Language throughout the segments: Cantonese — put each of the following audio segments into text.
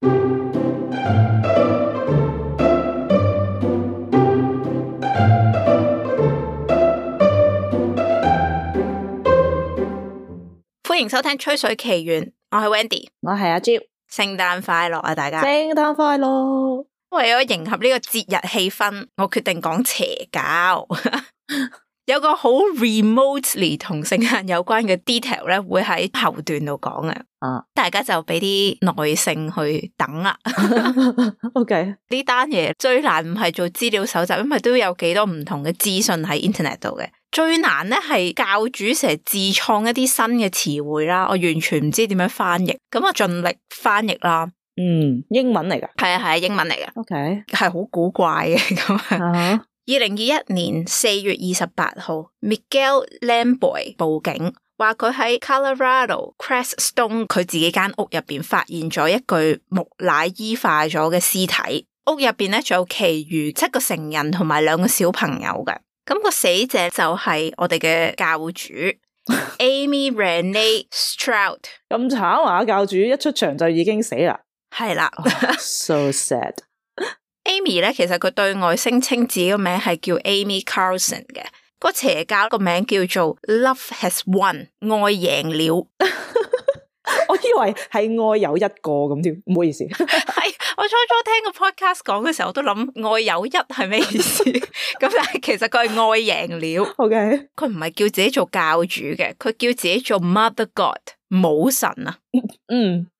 歡迎收聽《吹水奇緣》，我係 Wendy， 我係阿 Jill。聖誕快樂啊，大家！聖誕快樂！為咗迎合呢個節日氣氛，我決定講邪教。有個好 remotely 同聖誕有關嘅 detail 咧，會喺後段度講嘅。大家就俾啲耐性去等啦。OK， 呢單嘢最難唔係做資料搜集，因為都有幾多唔同嘅資訊喺 internet 度嘅。最難咧係教主成日自創一啲新嘅詞彙啦，我完全唔知點樣翻譯，咁我盡力翻譯啦。英文嚟噶？係啊，英文嚟噶。OK， 係好古怪嘅咁。2021年4月28號 Miguel Lamboy 報警，話佢喺 Colorado Crestone 佢自己間屋入邊發現咗一具木乃伊化咗嘅屍體，屋入邊咧仲有其餘7個成人同埋2個小朋友嘅。咁個死者就係我哋嘅教主Amy Renee Stroud。咁慘啊！教主一出場就已經死啦。係啦，so sad。Amy 咧，其實佢對外聲稱自己個名係叫 Amy Carlson 嘅，個邪教個名叫做 Love Has Won， 愛贏了。我以為係愛有一個咁添，唔好意思。係我初初聽個 podcast 講嘅時候，我都諗愛有一係咩意思？咁但係其實佢係愛贏了。OK， 佢唔係叫自己做教主嘅，佢叫自己做 Mother God， 母神啊。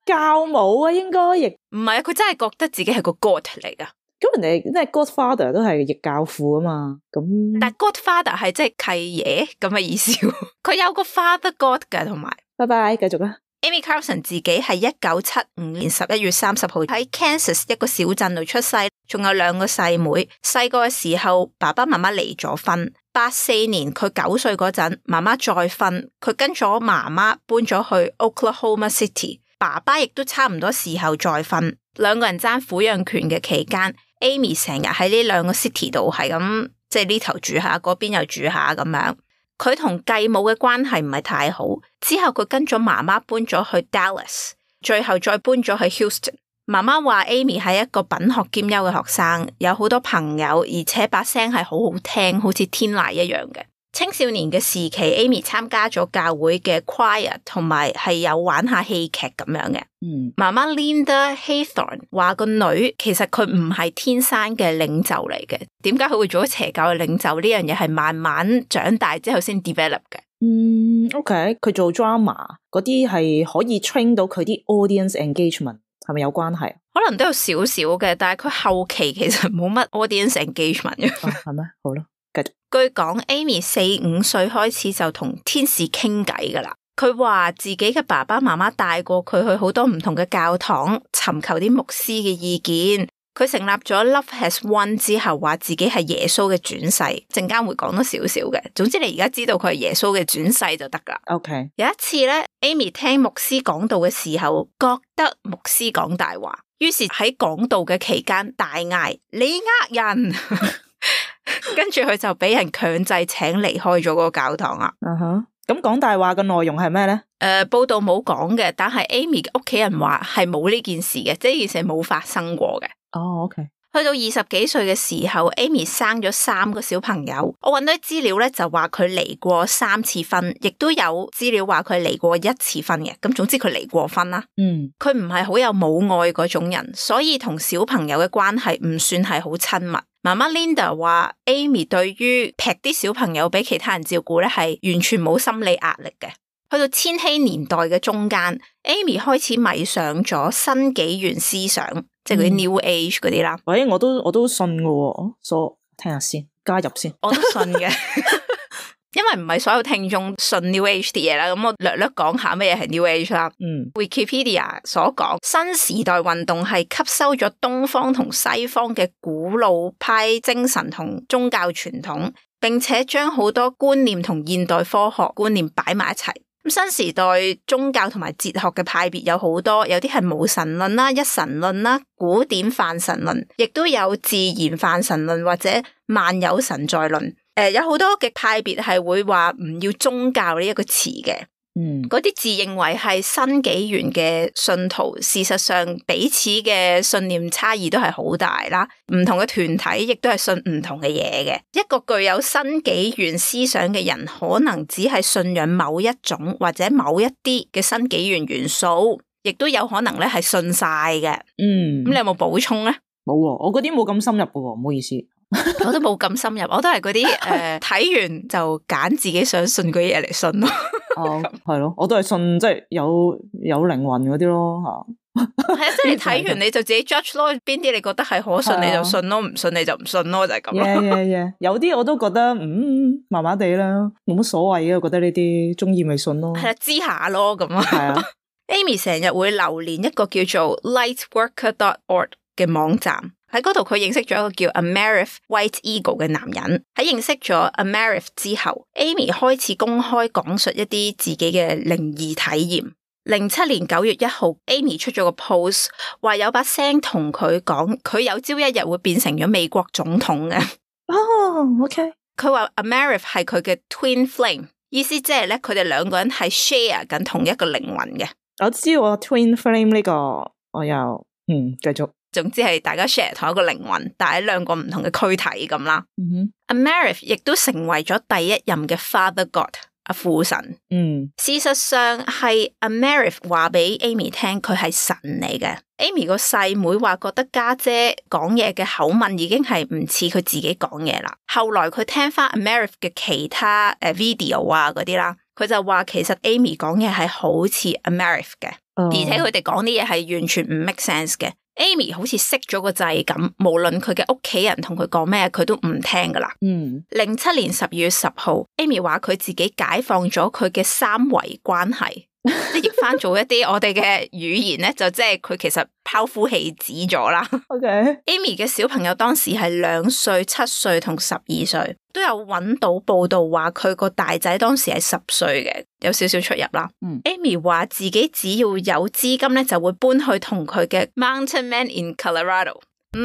教母啊，應該亦唔係啊，佢真係覺得自己係個 God 嚟噶。咁人哋即係 Godfather 都係譯教父啊嘛，咁但係 Godfather 係即係契爺咁嘅意思。佢有個 Father God 嘅，同埋拜拜，繼續啦。Amy Carlson 自己係1975年11月30號喺 Kansas 一個小鎮度出世，仲有2個細妹。細個嘅時候，爸爸媽媽離咗婚。84年佢9歲嗰陣，媽媽再婚，佢跟咗媽媽搬咗去 Oklahoma City。爸爸亦都差唔多時候再婚，2個人爭撫養權嘅期間 ，Amy 成日喺呢2個 city 度係咁，即係呢頭住下，嗰邊又住下咁樣。佢同繼母嘅關係唔係太好，之後佢跟咗媽媽搬咗去 Dallas， 最後再搬咗去 Houston。媽媽話 Amy 係一個品學兼優嘅學生，有好多朋友，而且把聲係好好聽，好似天籟一樣嘅。青少年嘅時期 ，Amy 參加咗教會嘅 choir， 同埋係有玩下戲劇咁樣嘅。媽媽 Linda Haythorne 話個女其實佢唔係天生嘅領袖嚟嘅，點解佢會做咗邪教嘅領袖？呢樣嘢係慢慢長大之後先 develop 嘅。OK， 佢做 drama 嗰啲係可以 train 到佢啲 audience engagement， 係咪有關係？可能都有少少嘅，但係佢後期其實冇乜 audience engagement 嘅。係咩？好啦。據講 Amy 4-5歲開始就同天使傾偈噶啦，佢話自己嘅爸爸媽媽帶過佢去好多唔同嘅教堂，尋求啲牧師嘅意見。佢成立咗 Love Has Won 之後，話自己係耶穌嘅轉世，陣間會講多少少嘅。總之你而家知道佢係耶穌嘅轉世就得噶。OK， 有一次咧 ，Amy 聽牧師講道嘅時候，覺得牧師講大話，於是喺講道嘅期間大嗌：你呃人！跟住佢就俾人強制請離開咗嗰個教堂啦。咁講大話嘅內容係咩咧？報道冇講嘅，但係 Amy 屋企人話係冇呢件事嘅，即係呢件事係冇發生過嘅。OK。去到20幾歲嘅時候 ，Amy 生咗3個小朋友。我搵到啲資料咧，就話佢離過3次婚，亦都有資料話佢離過1次婚嘅。咁總之佢離過婚啦。佢唔係好有母愛嗰種人，所以同小朋友嘅關係唔算係好親密。媽媽 Linda 話 Amy 對於劈啲小朋友俾其他人照顧咧，係完全冇心理壓力嘅。去到千禧年代嘅中間 ，Amy 開始迷上咗新紀元思想，即係嗰啲 New Age 嗰啲啦。喂，我都信嘅喎，所以聽下先，加入先。我都信嘅，因為唔係所有聽眾信 New Age 啲嘢啦。咁我略略講下乜嘢係 New Age 啦。Wikipedia 所講，新時代運動係吸收咗東方同西方嘅古老派精神同宗教傳統，並且將好多觀念同現代科學觀念擺埋一齊。咁新時代宗教同埋哲學嘅派別有好多，有啲係無神論啦、一神論啦、古典泛神論，亦都有自然泛神論或者萬有神在論。有好多嘅派別係會話唔要宗教呢一個詞嘅。嗰啲自認為係新紀元嘅信徒，事實上彼此嘅信念差異都係好大啦。唔同嘅團體亦都係信唔同嘅嘢嘅。一個具有新紀元思想嘅人，可能只係信仰某一種或者某一啲嘅新紀元元素，亦都有可能咧係信晒嘅。咁你有冇補充咧？冇，我嗰啲冇咁深入嘅，唔好意思。我都冇咁深入，我都係嗰啲睇完就揀自己想信嘅嘢嚟信咯。係咯，我都係信即係有靈魂嗰啲咯吓。係啊，即係你睇完你就自己 judge 咯，邊啲你覺得係可信你就信咯，唔信你就唔信咯，就係咁咯。有啲我都覺得麻麻地啦，冇乜所謂嘅，我覺得呢啲中意咪信咯。係啦，知下咯咁啊。係啊，Amy 成日會流連一個叫做 lightworker.org 嘅網站。喺嗰度佢認識咗一個叫 Amerith White Eagle 嘅男人。喺認識咗 Amerith 之後 ，Amy 開始公開講述一啲自己嘅靈異體驗。07年9月1號 ，Amy 出咗個 post， 話有把聲同佢講，佢有朝一日會變成咗美國總統嘅。OK。佢話 Amerith 係佢嘅 twin flame， 意思即係咧，佢哋兩個人係 share 緊同一個靈魂嘅。我知我 twin flame 呢個，我又繼續。總之係大家 share 同一個靈魂，但係兩個唔同嘅軀體咁啦。Amerith 亦都成為咗第一任嘅 Father God， 阿父神。事實上係 Amerith 話俾 Amy 聽佢係神嚟嘅。Amy 個細妹話覺得家姐講嘢嘅口吻已經係唔似佢自己講嘢啦。後來佢聽翻 Amerith 嘅其他video 啊嗰啲啦，佢就話其實 Amy 講嘢係好似 Amerith 嘅，而且佢哋講啲嘢係完全唔 make sense 嘅。Amy 好似熄咗個掣咁，無論佢嘅屋企人同佢講咩，佢都唔聽噶啦。07年12月10號 ，Amy 話佢自己解放咗佢嘅三維關係。即係譯翻做一啲我哋嘅語言咧，就即係佢其實拋夫棄子咗啦。Amy 嘅小朋友當時係2歲、7歲同12歲，都有揾到報道話佢個大仔當時係10歲嘅，有少少出入啦。Amy 話自己只要有資金咧，就會搬去同佢嘅 Mountain Man in Colorado。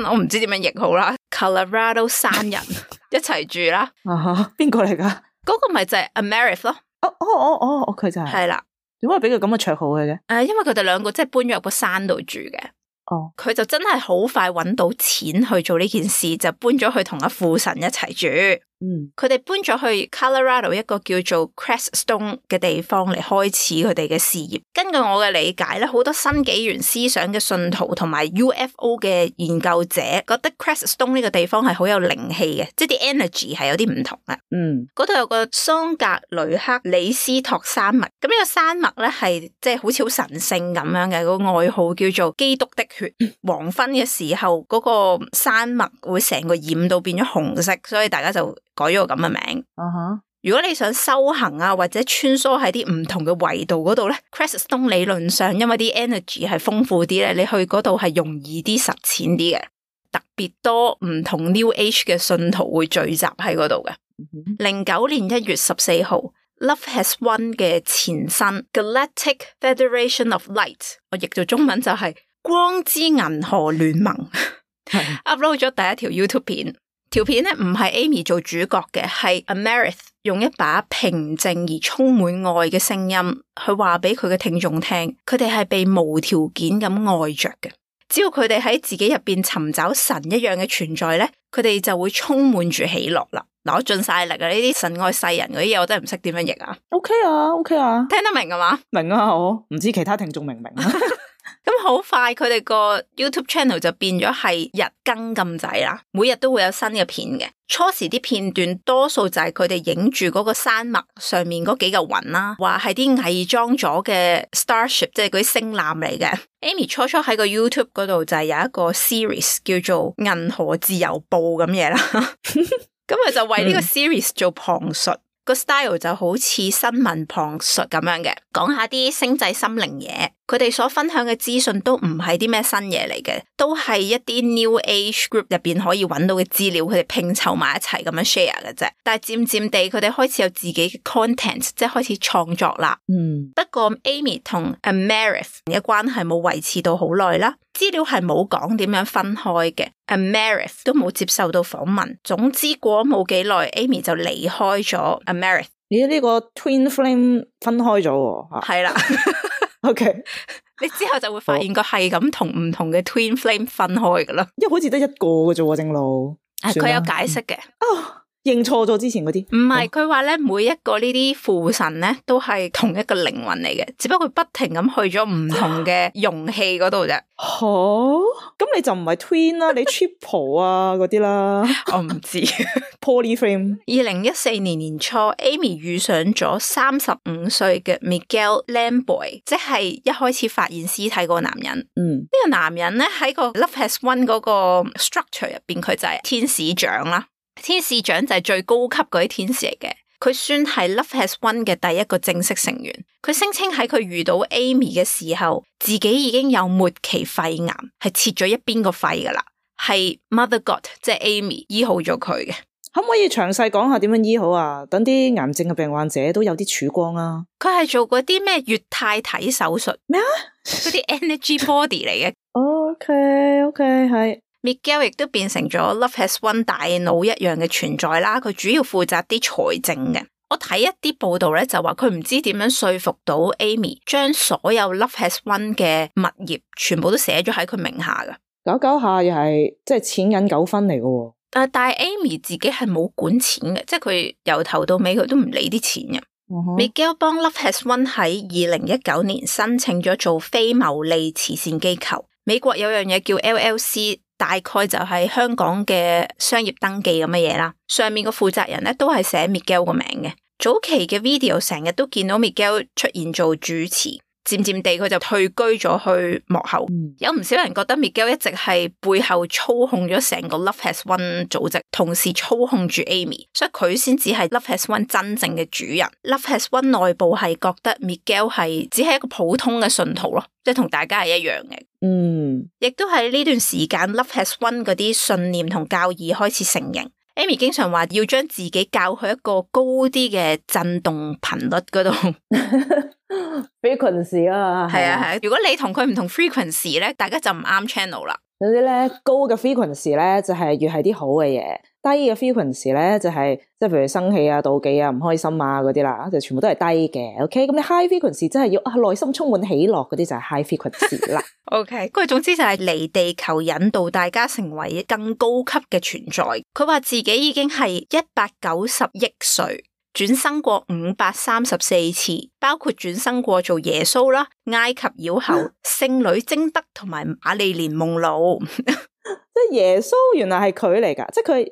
我唔知點樣譯好啦 ，Colorado 山人一齊住啦。邊個嚟噶？嗰個咪就係 Amerith 咯。佢就係。係啦。點解俾佢咁嘅綽號嘅？因為佢哋兩個即係搬咗入個山度住嘅。佢就真係好快揾到錢去做呢件事，就搬咗去同阿父神一齊住。佢哋搬咗去 Colorado 一個叫做 Crestone 嘅地方嚟開始佢哋嘅事業。根據我嘅理解咧，好多新紀元思想嘅信徒同埋 UFO 嘅研究者覺得 Crestone 呢個地方係好有靈氣嘅，即係啲 energy 係有啲唔同嘅。嗰度有個桑格雷克里斯托山脈，咁呢個山脈咧係即係好似好神聖咁樣嘅，個外號叫做基督的血。黃昏嘅時候，嗰個山脈會成個染到變咗紅色，所以大家就改咗個咁嘅名。如果你想修行啊，或者穿梭喺啲唔同嘅維度嗰度咧 ，Crestone 理論上因為啲 energy 係豐富啲咧，你去嗰度係容易啲實踐啲嘅。特別多唔同 New Age 嘅信徒會聚集喺嗰度嘅。09年1月14號 ，Love Has Won 嘅前身 Galactic Federation of Light， 我譯做中文就係光之銀河聯盟，upload 咗第一條 YouTube 片。條片咧唔係 Amy 做主角嘅，係 Amerith 用一把平靜而充滿愛嘅聲音去話俾佢嘅聽眾聽，佢哋係被無條件咁愛着嘅。只要佢哋喺自己入邊尋找神一樣嘅存在咧，佢哋就會充滿住喜樂啦。嗱，我盡晒力啊！呢啲神愛世人嗰啲嘢，我真係唔識點樣譯啊。OK 啊，聽得明啊嘛？明啊，我唔知其他聽眾明唔明啊？咁好快，佢哋個 YouTube channel 就變咗係日更咁滯啦，每日都會有新嘅片嘅。初時啲片段多數就係佢哋影住嗰個山脈上面嗰幾嚿雲啦，話係啲偽裝咗嘅 Starship， 即係嗰啲星艦嚟嘅。Amy 初初喺個 YouTube 嗰度就係有一個 series 叫做《銀河自由報》咁嘢啦，咁佢就為呢個 series 做旁述。個 style 就好似新聞旁述咁樣嘅，講下啲星際心靈嘢。佢哋所分享嘅資訊都唔係啲咩新嘢嚟嘅，都係一啲 New Age group 入邊可以揾到嘅資料，佢哋拼湊埋一齊咁樣 share 嘅啫。但係漸漸地，佢哋開始有自己嘅 content， 即係開始創作啦。不過 Amy 同 Amerith 嘅關係冇維持到好耐啦，資料係冇講點樣分開嘅。Amerith 都冇接受到訪問。總之過冇幾耐 ，Amy 就離開咗 Amerith，咦，呢個 twin flame 分開咗喎。係啦。OK， 你之後就會發現個係咁同唔同嘅 twin flame 分開噶啦。因為好似得一個嘅啫喎，正路。佢有解釋嘅。認錯咗之前嗰啲，唔係，佢話咧每一個呢啲父神咧都係同一個靈魂嚟嘅，只不過佢不停咁去咗唔同嘅容器嗰度啫。咁你就唔係 twin 啦，你 triple 啊嗰啲啦。我唔知。Polyframe。2014年年初 ，Amy 遇上咗35歲嘅 Miguel Lamboy， 即係一開始發現屍體嗰個男人。呢個男人咧喺個 Love Has Won 嗰個 structure 入邊，佢就係天使長啦。天使長就係最高級嗰啲天使嚟嘅，佢算係 Love Has Won 嘅第一個正式成員。佢聲稱喺佢遇到 Amy 嘅時候，自己已經有末期肺癌，係切咗一邊個肺噶啦，係 Mother God 即係 Amy 醫好咗佢嘅。可唔可以詳細講下點樣醫好啊？等啲癌症嘅病患者都有啲曙光啊！佢係做嗰啲咩液態體手術咩啊？嗰啲 energy body 嚟嘅。OK， 係。Miguel 亦都變成咗 Love Has Won 大腦一樣嘅存在啦，佢主要負責啲財政嘅。我睇一啲報道咧，就話佢唔知點樣說服到 Amy 將所有 Love Has Won 嘅物業全部都寫咗喺佢名下噶。搞下又係即係錢銀糾紛嚟嘅。但係 Amy 自己係冇管錢嘅，即係佢由頭到尾佢都唔理啲錢嘅。Miguel 幫 Love Has Won 喺2019年申請咗做非牟利慈善機構。美國有樣嘢叫 LLC。大概就係香港嘅商業登記咁嘅嘢啦，上面個負責人咧都係寫 Miguel 個名嘅。早期嘅 video 成日都見到 Miguel 出現做主持，漸漸地佢就退居咗去幕後。有唔少人覺得 Miguel 一直係背後操控咗成個 Love Has Won 組織，同時操控住 Amy， 所以佢先至係 Love Has Won 真正嘅主人。Love Has Won 內部係覺得 Miguel 係只係一個普通嘅信徒咯，即係同大家係一樣嘅。亦都喺呢段時間 Love Has Won 嗰啲信念同教義開始成型。Amy 經常話要將自己教去一個高啲嘅震動頻率嗰度。frequency 啊，係啊。如果你同佢唔同 frequency 咧，大家就唔啱 channel 啦。總之咧，高嘅 frequency 咧就係越係啲好嘅嘢，低嘅 frequency 咧就係即係譬如生氣啊、妒忌啊、唔開心啊嗰啲啦，就全部都係低嘅。OK， 咁你 high frequency 真係要內心充滿喜樂嗰啲就係 high frequency 啦。OK， 佢總之就係嚟地球引導大家成為更高級嘅存在。佢話自己已經係190億歲。轉生過534次，包括轉生過做耶穌啦、埃及妖后、聖女貞德同埋瑪麗蓮夢露。即係耶穌原來係佢嚟噶，即係佢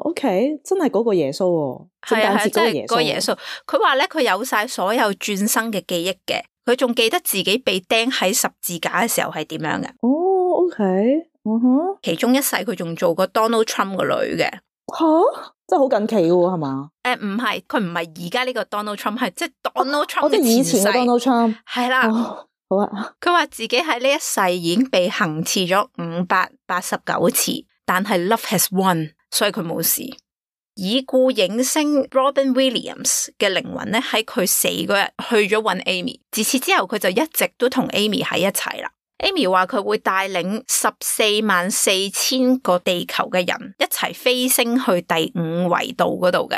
OK， 真係嗰個耶穌喎。係啊，真係嗰個耶穌。佢話咧，佢有晒所有轉生嘅記憶嘅，佢仲記得自己被釘喺十字架嘅時候係點樣嘅。OK，其中一世佢仲做過 Donald Trump 個女嘅。真係好近期嘅喎，係嘛？唔係，佢唔係而家呢個 Donald Trump， 係即係 Donald Trump 即係以前嘅 Donald Trump。係啦，好啊。佢話自己喺呢一世已經被行刺咗589次，但係 Love Has Won， 所以佢冇事。已故影星 Robin Williams 嘅靈魂咧喺佢死嗰日去咗搵 Amy， 自此之後佢就一直都同 Amy 喺一齊啦。Amy 話佢會帶領144000個地球嘅人一齊飛升去第5維度嗰度嘅。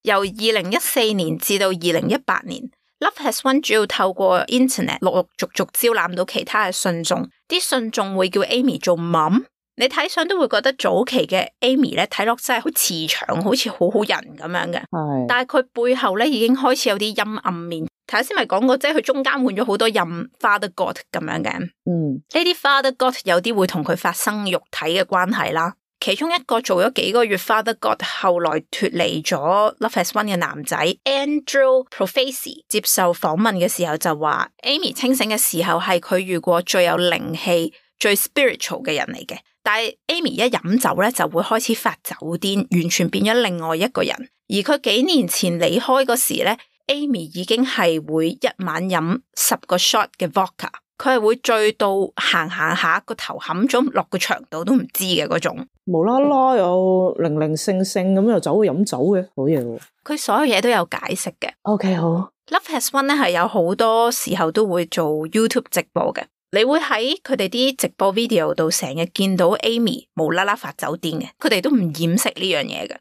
由2014年至到2018年 Love Has Won 主要透過 Internet 陸陸續續招攬到其他嘅信眾，啲信眾會叫 Amy 做 Mom。你睇相都會覺得早期嘅 Amy 咧睇落真係好慈祥，好似好好人咁樣嘅。係，但係佢背後咧已經開始有啲陰暗面。頭先咪講過，即係佢中間換咗好多任 Father God 咁樣嘅。呢啲 Father God 有啲會同佢發生肉體嘅關係啦。其中一個做咗幾個月 Father God， 後來脫離咗 Love Has Won 嘅男仔 Andrew Profesi 接受訪問嘅時候就話 ，Amy 清醒嘅時候係佢遇過最有靈氣、最 spiritual 嘅人嚟嘅。但係 Amy 一飲酒咧就會開始發酒癲，完全變咗另外一個人。而佢幾年前離開嗰時咧 ，Amy 已經係會一晚飲10個 shot 嘅 vodka， 佢係會醉到行下個頭冚咗落個牆度都唔知嘅嗰種。無啦啦又零零星星咁又走去飲酒嘅，好嘢喎！佢所有嘢都有解釋嘅。OK， 好。Love Has Won 咧係有好多時候都會做 YouTube 直播嘅。你會喺佢哋啲直播 video 度成日見到 Amy 無啦啦發酒癲嘅，佢哋都唔掩飾呢樣嘢嘅。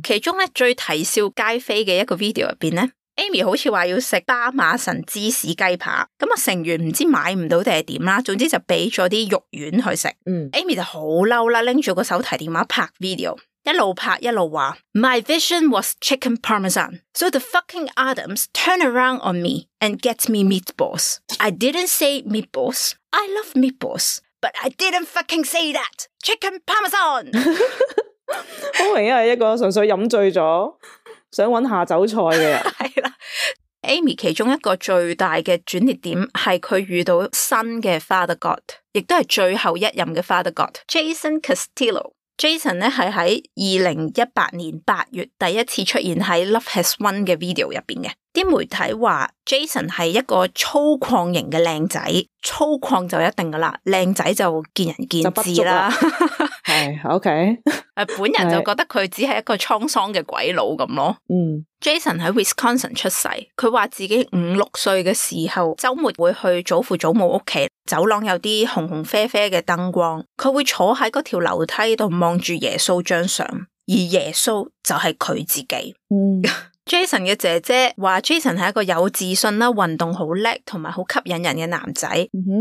其中咧最啼笑皆非嘅一個 video 入邊咧，Amy 好似話要食巴馬神芝士雞扒，咁啊成員唔知買唔到定係點啦，總之就俾咗啲肉丸去食。Amy 就好嬲啦，拎住個手提電話拍 video。一路拍一路話 My vision was chicken parmesan, so the fucking Adams turn around on me and get me meatballs. I didn't say meatballs. I love meatballs, but I didn't fucking say that. Chicken parmesan. 好明顯係一個純粹飲醉咗想揾下酒菜嘅人。係啦，Amy 其中一個最大嘅轉捩點係佢遇到新嘅 Father God， 亦都係最後一任嘅 Father God Jason Castillo。Jason 咧係喺2018年8月第一次出現喺 Love Has Won 嘅 video 入邊嘅。啲媒體話 Jason 係一個粗獷型嘅靚仔，粗獷就一定噶啦，靚仔就見仁見智啦。係 OK。本人就覺得佢只係一個滄桑嘅鬼佬咁咯。Jason 喺 Wisconsin 出世，佢話自己5-6歲嘅時候，周末會去祖父祖母屋企，走廊有啲紅紅啡啡嘅燈光，佢會坐喺嗰條樓梯度望住耶穌張相，而耶穌就係佢自己。Jason 嘅姐姐話 Jason 係一個有自信啦、運動好叻同埋好吸引人嘅男仔。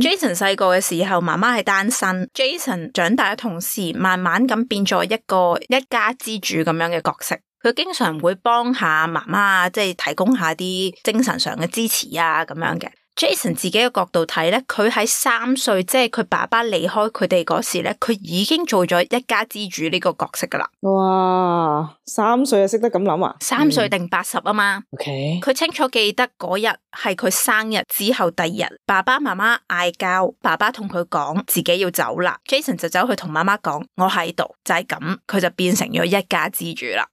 Jason 細個嘅時候，媽媽係單身。Jason 長大嘅同時，慢慢咁變咗一個一家之主咁樣嘅角色。佢經常會幫下媽媽，即係提供下啲精神上嘅支持啊咁樣嘅。Jason 自己嘅角度睇咧，佢喺3歲，即係佢爸爸離開佢哋嗰時咧，佢已經做咗一家之主呢個角色噶啦。哇，3歲就識得咁諗啊？3歲定80啊嘛。OK。佢清楚記得嗰日係佢生日之後第2日，爸爸媽媽嗌交，爸爸同佢講自己要走啦 ，Jason 就走去同媽媽講我喺度，就係咁，佢就變成咗一家之主啦。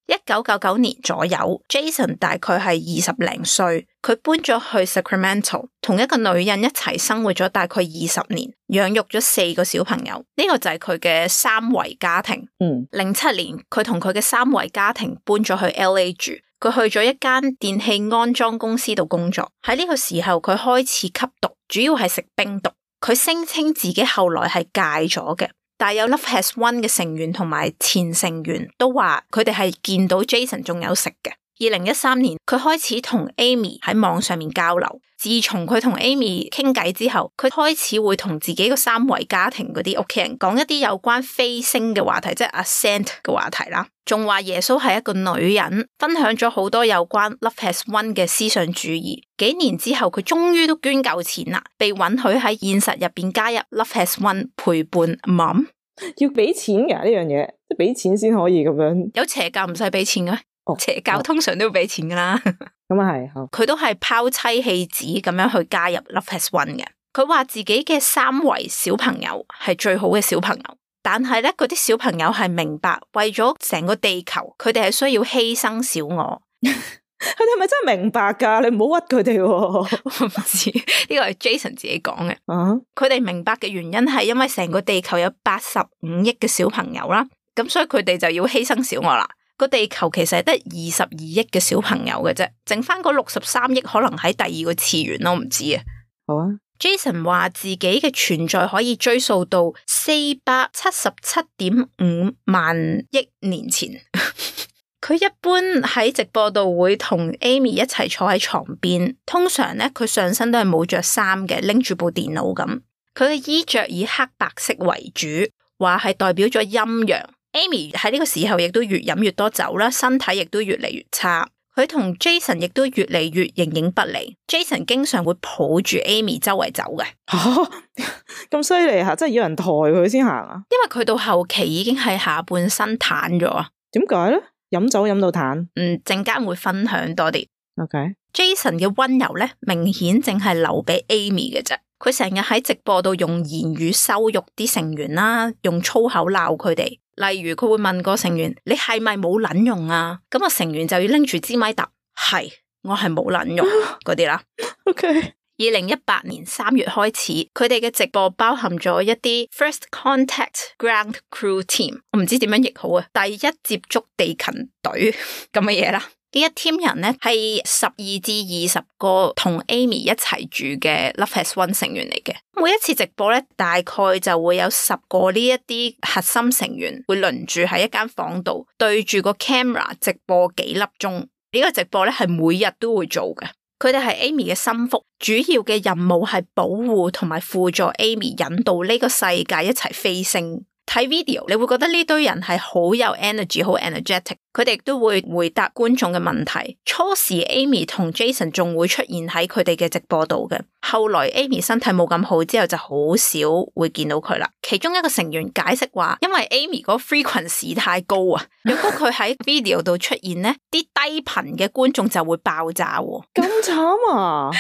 1999年左右 ，Jason 大概係20零歲。佢搬咗去 Sacramento， 同一個女人一齊生活咗大概20年，養育咗4個小朋友。呢個就係佢嘅3維家庭。07年，佢同佢嘅3維家庭搬咗去 LA 住。佢去咗一間電器安裝公司度工作。喺呢個時候，佢開始吸毒，主要係食冰毒。佢聲稱自己後來係戒咗嘅，但係有 Love Has Won 嘅成員同埋前成員都話佢哋係見到 Jason 仲有食嘅。2013年，佢開始同 Amy 喺網上面交流。自從佢同 Amy 傾偈之後，佢開始會同自己個3維家庭嗰啲屋企人講一啲有關飛升嘅話題，即係 Ascent 嘅話題啦。仲話耶穌係一個女人，分享咗好多有關 Love Has Won 嘅思想主義。幾年之後，佢終於都捐夠錢啦，被允許喺現實入邊加入 Love Has Won 陪伴 Mom。要俾錢㗎呢樣嘢，即係俾錢先可以咁樣。有邪教唔使俾錢嘅咩？邪教通常都要俾錢噶啦。咁啊係，佢都係拋妻棄子咁樣去加入 Love Has Won 嘅。佢話自己嘅3維小朋友係最好嘅小朋友，但係咧嗰啲小朋友係明白為咗成個地球，佢哋係需要犧牲小我。佢哋係咪真係明白噶？你唔好屈佢哋。我唔知呢個係 Jason 自己講嘅。佢哋明白嘅原因係因為成個地球有85億嘅小朋友啦，咁所以佢哋就要犧牲小我啦。個地球其實係得22億嘅小朋友嘅啫，剩翻嗰63億可能喺第2個次元咯，唔知啊。好啊。Jason 話自己嘅存在可以追溯到477.5萬億年前。佢一般喺直播度會同 Amy 一齊坐喺床邊，通常咧佢上身都係冇着衫嘅，拎住部電腦咁。佢嘅衣着以黑白色為主，話係代表咗陰陽。Amy 喺呢個時候亦都越飲越多酒啦，身體亦都越嚟越差。佢同 Jason 亦都越嚟越形影不離。Jason 經常會抱住 Amy 周圍走嘅。咁犀利吓，真係要人抬佢先行啊？因為佢到後期已經係下半身癱咗啊。點解咧？飲酒飲到癱？陣間會分享多啲。OK。Jason 嘅溫柔咧，明顯淨係留俾 Amy 嘅啫。佢成日喺直播度用言語羞辱啲成員啦，用粗口鬧佢哋。例如佢會問個成員：你係咪冇撚用啊？咁個成員就要拎住支咪答：係，我係冇撚用嗰啲啦。OK。2018年3月開始，佢哋嘅直播包含咗一啲 First Contact Ground Crew Team， 我唔知點樣譯好啊，第一接觸地勤隊咁嘅嘢啦。呢一 team 人咧係12至20個同 Amy 一齊住嘅 Love Has Won 成員嚟嘅。每一次直播咧，大概就會有10個呢一啲核心成員會輪住喺一間房度對住個 camera 直播幾粒鐘。呢個直播咧係每日都會做嘅。佢哋係 Amy 嘅心腹，主要嘅任務係保護同埋輔助 Amy 引導呢個世界一齊飛升。睇 video 你會覺得呢堆人係好有 energy 好 energetic， 佢哋亦都會回答觀眾嘅問題。初時 Amy 同 Jason 仲會出現喺佢哋嘅直播度嘅，後來 Amy 身體冇咁好之後就好少會見到佢啦。其中一個成員解釋話，因為 Amy 嗰個 frequency 太高啊，如果佢喺 video 度出現呢，啲低頻嘅觀眾就會爆炸喎。咁慘啊？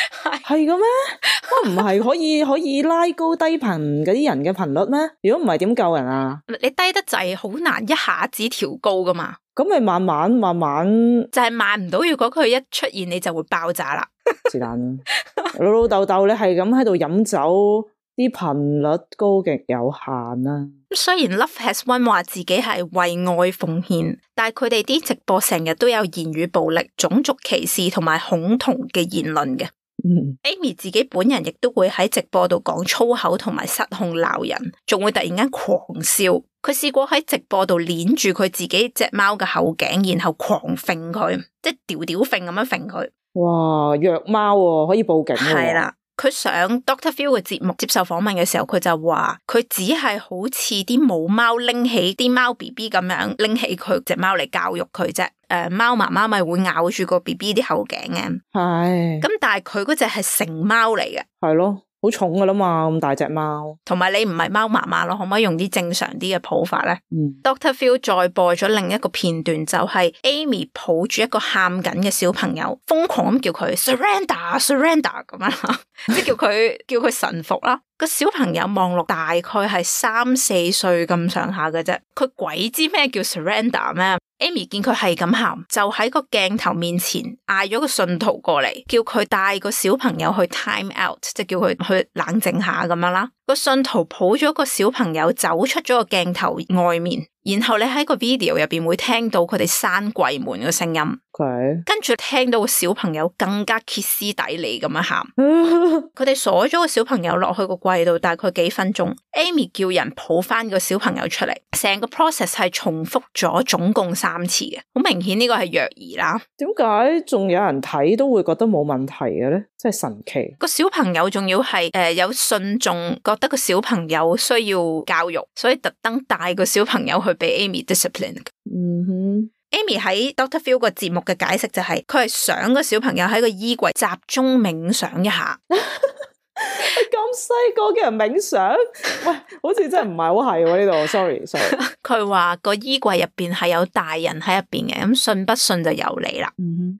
係嘅咩？唔係可以拉高低頻嗰啲人嘅頻率咩？如果唔係點救人啊？你低得滯好難一下子調高噶嘛？咁咪慢慢就係慢唔到。如果佢一出現，你就會爆炸啦。是但老老豆豆，你係咁喺度飲酒，啲頻率高極有限啦。雖然 Love Has Won 話自己係為愛奉獻，但係佢哋啲直播成日都有言語暴力、種族歧視同埋恐同嘅言論嘅。Amy 自己本人亦都會喺直播度講粗口同埋失控鬧人，仲會突然間狂笑。佢試過喺直播度鏈住佢自己隻貓嘅後頸，然後狂揈佢，即係吊吊揈咁樣揈佢。哇，虐貓喎，可以報警喎。係啦。佢上 Dr. Phil 嘅節目接受訪問嘅時候，佢就話佢只係好似啲母貓拎起啲貓 BB 咁樣拎起佢隻貓嚟教育佢啫。貓媽媽咪會咬住個 BB 啲後頸嘅。係。咁但係佢嗰隻係成貓嚟嘅。係咯。好重噶啦嘛，咁大隻貓，同埋你唔係貓媽媽咯，可唔可以用啲正常啲嘅抱法咧？Dr. Phil 再播咗另一個片段，就係 Amy 抱住一個喊緊嘅小朋友，瘋狂咁叫佢 surrender 咁樣，即係叫佢臣服啦。個小朋友望落大概係3-4歲咁上下嘅啫，佢鬼知咩叫 surrender 咩？Amy 見佢係咁喊，就喺個鏡頭面前嗌咗個信徒過嚟，叫佢帶個小朋友去 time out， 即係叫佢去冷靜下咁樣啦。個信徒抱咗個小朋友走出咗個鏡頭外面，然後你喺個 video 入邊會聽到佢哋閂櫃門嘅聲音。跟住聽到個小朋友更加歇斯底里咁樣喊。佢哋鎖咗個小朋友落去個櫃度，大概幾分鐘。Amy 叫人抱翻個小朋友出嚟，成個 process 係重複咗總共3次嘅，好明顯呢個係虐兒啦。點解仲有人睇都會覺得冇問題嘅咧？真係神奇。個小朋友仲要係有信眾覺得個小朋友需要教育，所以特登帶個小朋友去俾 Amy discipline。Amy 喺 Dr. Phil 個節目嘅解釋就係，佢係想個小朋友喺個衣櫃集中冥想一下。咁細個嘅人冥想，喂，好似真係唔係好係喎呢度。sorry。佢話個衣櫃入邊係有大人喺入邊嘅，咁信不信就由你啦。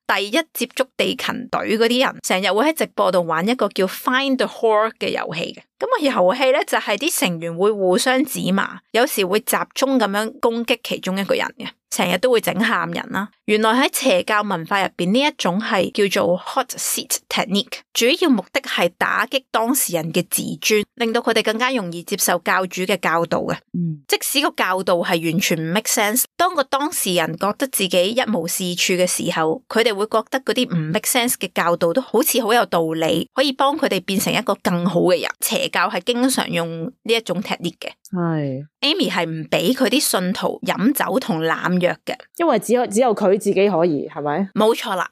第一接觸地勤隊嗰啲人，成日會喺直播度玩一個叫 Find the Whore 嘅遊戲嘅。咁個遊戲咧就係啲成員會互相指罵，有時會集中咁樣攻擊其中一個人嘅。成日都會整喊人啦。原來喺邪教文化入邊呢一種係叫做 hot seat technique， 主要目的係打擊當事人嘅自尊，令到佢哋更加容易接受教主嘅教導嘅。即使個教導係完全唔 make sense， 當個當事人覺得自己一無是處嘅時候，佢哋會覺得嗰啲唔 make sense 嘅教導都好似好有道理，可以幫佢哋變成一個更好嘅人。邪教係經常用呢一種 technique 嘅。Amy 係唔俾佢啲信徒飲酒同濫藥嘅，因為只有佢自己可以，係咪？冇錯啦。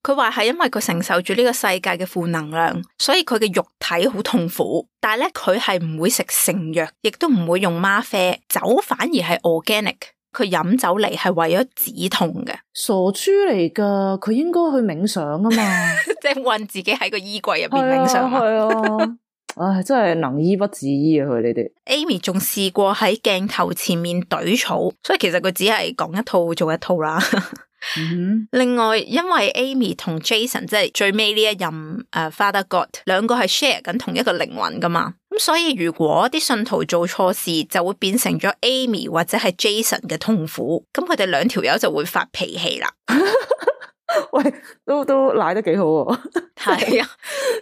佢話係因為佢承受住呢個世界嘅負能量，所以佢嘅肉體好痛苦。但係咧，佢係唔會食成藥，亦都唔會用嗎啡，酒反而係 organic。佢飲酒嚟係為咗止痛嘅。傻豬嚟噶，佢應該去冥想啊嘛，即係困自己喺個衣櫃入邊冥想。係啊。唉，真係能醫不自醫啊！佢你哋 Amy 仲試過喺鏡頭前面懟草，所以其實佢只係講一套做一套啦。另外，因為 Amy 同 Jason 即係最尾呢一任Father God 兩個係 share 緊同一個靈魂噶嘛，咁所以如果啲信徒做錯事，就會變成咗 Amy 或者係 Jason 嘅痛苦，咁佢哋兩條友就會發脾氣啦。喂，都賴得幾好喎。係啊，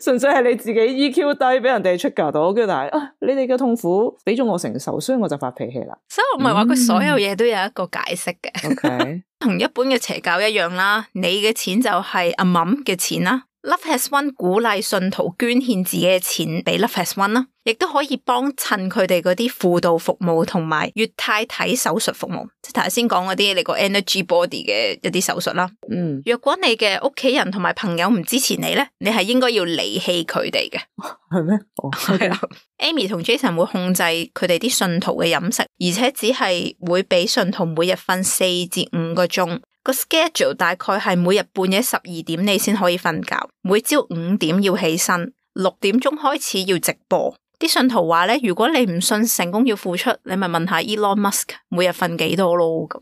純粹係你自己 EQ 低，俾人哋出格到，跟住但係你哋嘅痛苦俾咗我承受，所以我就發脾氣啦。所以我唔係話佢所有嘢都有一個解釋嘅。OK，同一般嘅邪教一樣啦，你嘅錢就係阿冧嘅錢啦。Love Has Won 鼓勵信徒捐獻自己嘅錢俾 Love Has Won 啦，亦都可以幫襯佢哋嗰啲輔導服務同埋乙太體手術服務，即係頭先講嗰啲你個 energy body 嘅一啲手術啦。若果你嘅屋企人同埋朋友唔支持你咧，你係應該要離棄佢哋嘅。係咩？係啦，Amy 同 Jason 會控制佢哋啲信徒嘅飲食，而且只係會俾信徒每日瞓4至5個鐘。個 schedule 大概係每日半夜12點你先可以瞓覺，每朝5點要起身，6點鐘開始要直播。啲信徒話咧，如果你唔信成功要付出，你咪問下 Elon Musk 每日瞓幾多咯咁。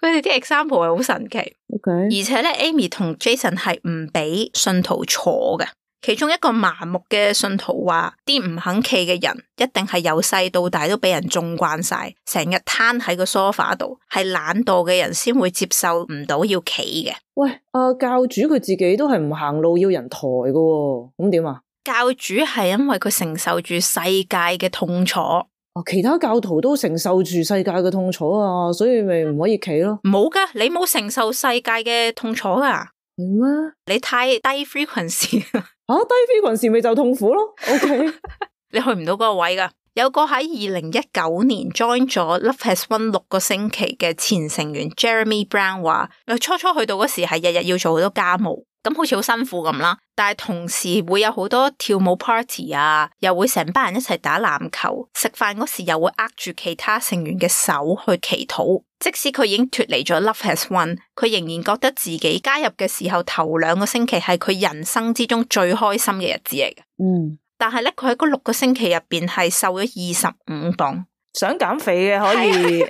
佢哋啲 example 係好神奇。Okay. 而且咧 Amy 同 Jason 係唔俾信徒坐嘅。其中一個麻木嘅信徒話，啲唔肯企嘅人一定係由細到大都俾人縱慣晒，成日攤喺個 sofa 度，係懶惰嘅人先會接受唔到要企嘅。喂，教主佢自己都係唔行路要人抬㗎喎，咁點啊？教主係因為佢承受住世界嘅痛楚，其他教徒都承受住世界嘅痛楚啊，所以咪唔可以企咯。冇噶，你冇承受世界嘅痛楚噶，係咩？你太低 frequency。低 frequency 咪就痛苦咯。OK， 你去唔到嗰個位噶。有個喺2019年 join 咗 Love Has Won 6個星期嘅前成員 Jeremy Brown 話，初初去到嗰時係日日要做好多家務，咁好似好辛苦咁啦。但係同時會有好多跳舞 party 啊，又會成班人一齊打籃球，食飯嗰時又會握住其他成員嘅手去祈禱。即使佢已經脫離咗 Love Has Won，佢仍然覺得自己加入嘅時候頭2個星期係佢人生之中最開心嘅日子嚟嘅。但係咧，佢喺嗰6個星期入邊係瘦咗25磅。想減肥嘅可以去。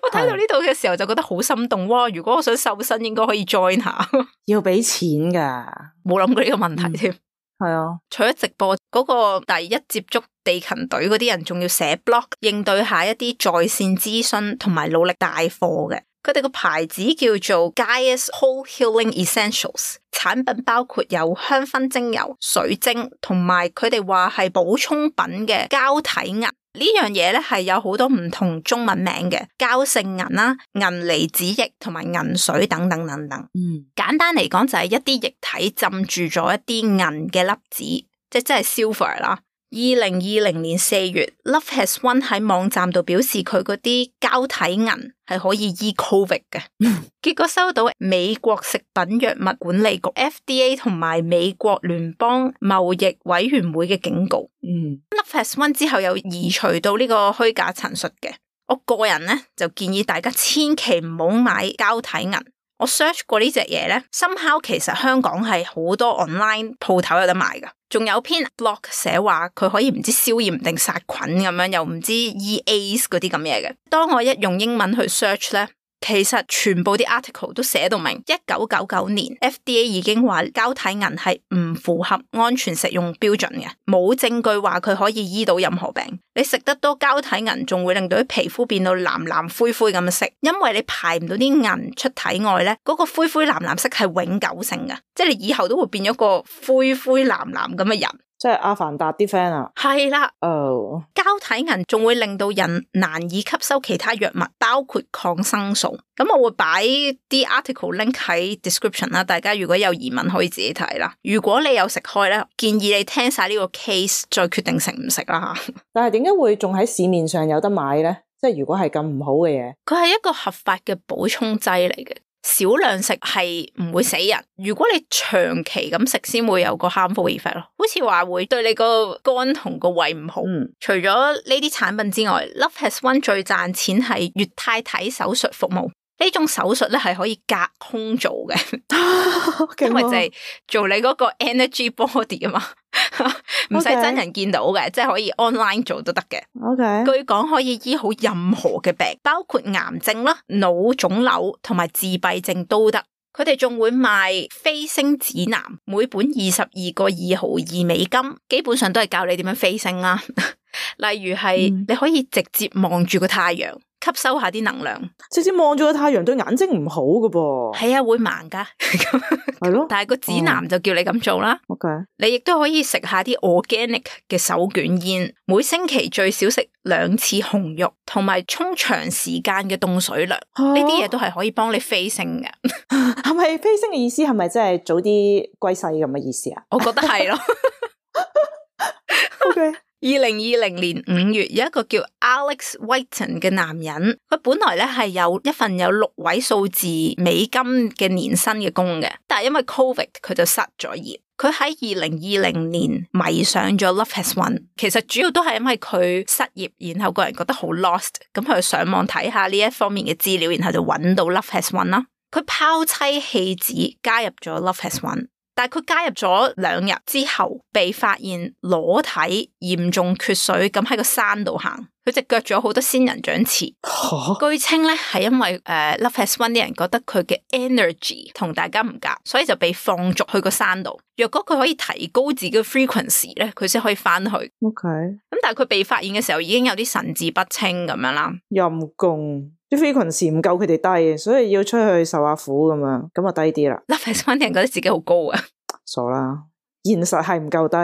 我睇到呢度嘅時候就覺得好心動。哇！如果我想瘦身，應該可以 join 下。要俾錢噶，冇諗過呢個問題添。係啊，除咗直播嗰個第一接觸地勤隊嗰啲人，仲要寫 blog 應對下一啲在線諮詢同埋努力帶貨嘅。佢哋個牌子叫做 Gaia's Whole Healing Essentials， 產品包括有香薰精油、水晶同埋佢哋話係補充品嘅膠體銀。呢樣嘢咧係有好多唔同中文名嘅，膠性銀啦、銀離子液同埋銀水等等等等。簡單嚟講就係一啲液體浸住咗一啲銀嘅粒子，即係 silver 啦。2020年4月 Love Has Won 喺網站度表示佢嗰啲膠體銀係可以醫 COVID 嘅。結果收到美國食品藥物管理局 FDA 同埋美國聯邦貿易委員會嘅警告。Love Has Won 之後有移除到呢個虛假陳述嘅。我個人咧就建議大家千祈唔好買膠體銀。我 search 過呢隻嘢咧，somehow其實香港係好多 online 鋪頭有得賣噶，仲有篇 blog 寫話佢可以唔知消炎定殺菌咁樣，又唔知 EAs 嗰啲咁嘢嘅。當我一用英文去 search 咧，其實全部啲 article 都寫到明，1999年 FDA 已經話膠體銀係唔符合安全食用標準嘅，冇證據話佢可以醫到任何病。你食得多膠體銀，仲會令到啲皮膚變到藍藍灰灰咁嘅色，因為你排唔到啲銀出體外咧，嗰個灰灰藍藍色係永久性嘅，即係你以後都會變咗個灰灰藍藍咁嘅人。即係阿凡達啲 friend 啊，係啦。膠體銀仲會令到人難以吸收其他藥物，包括抗生素。咁我會擺啲 article link 喺 description 啦，大家如果有疑問可以自己睇啦。如果你有食開咧，建議你聽晒呢個 case 再決定食唔食啦吓。但係點解會仲喺市面上有得買咧？即係如果係咁唔好嘅嘢，佢係一個合法嘅補充劑嚟嘅。少量食係唔會死人，如果你長期咁食先會有個 harmful effect 咯，好似話會對你個肝同個胃唔好。除咗呢啲產品之外 ，Love Has Won 最賺錢係乙太體手術服務。呢種手術咧係可以隔空做嘅，因為就係做你嗰個 energy body 啊嘛，唔使真人見到嘅，即係可以 online 做都得嘅。據講可以醫好任何嘅病，包括癌症啦、腦腫瘤同埋自閉症都得。佢哋仲會賣飛星指南，每本22個2毫2美金，基本上都係教你點樣飛星啦。例如係你可以直接望住個太陽，吸收下啲能量。直接望住個太陽對眼睛唔好噶噃。係啊，會盲噶。係咯。但係個指南就叫你咁做啦。OK。你亦都可以食下啲 organic 嘅手捲煙，每星期最少食2次紅肉，同埋沖長時間嘅凍水涼。呢啲嘢都係可以幫你飛升嘅。係咪飛升嘅意思？係咪即係早啲歸西咁嘅意思啊？我覺得係咯。OK。2020年5月，有一個叫 Alex Whiten 嘅男人，佢本來咧係有一份有6位數字美金嘅年薪嘅工嘅，但係因為 Covid 佢就失咗業。佢喺2020年迷上咗 Love Has Won， 其實主要都係因為佢失業，然後個人覺得好 lost， 咁佢上網睇下呢一方面嘅資料，然後就揾到 Love Has Won 啦。佢拋妻棄子加入咗 Love Has Won。但係佢加入咗2日之後，被發現裸體嚴重缺水，咁喺個山度行，佢隻腳仲有好多仙人掌刺。據稱咧係因為Love Has Won 啲人覺得佢嘅 energy 同大家唔夾，所以就被放逐去個山度。若果佢可以提高自己嘅 frequency 咧，佢先可以翻去。OK。咁但係佢被發現嘅時候已經有啲神志不清咁樣啦。陰公。啲 frequency 唔夠佢哋低，所以要出去受下苦咁樣，咁啊低啲啦。Love Has Won 啲人覺得自己好高啊，傻啦，現實係唔夠低。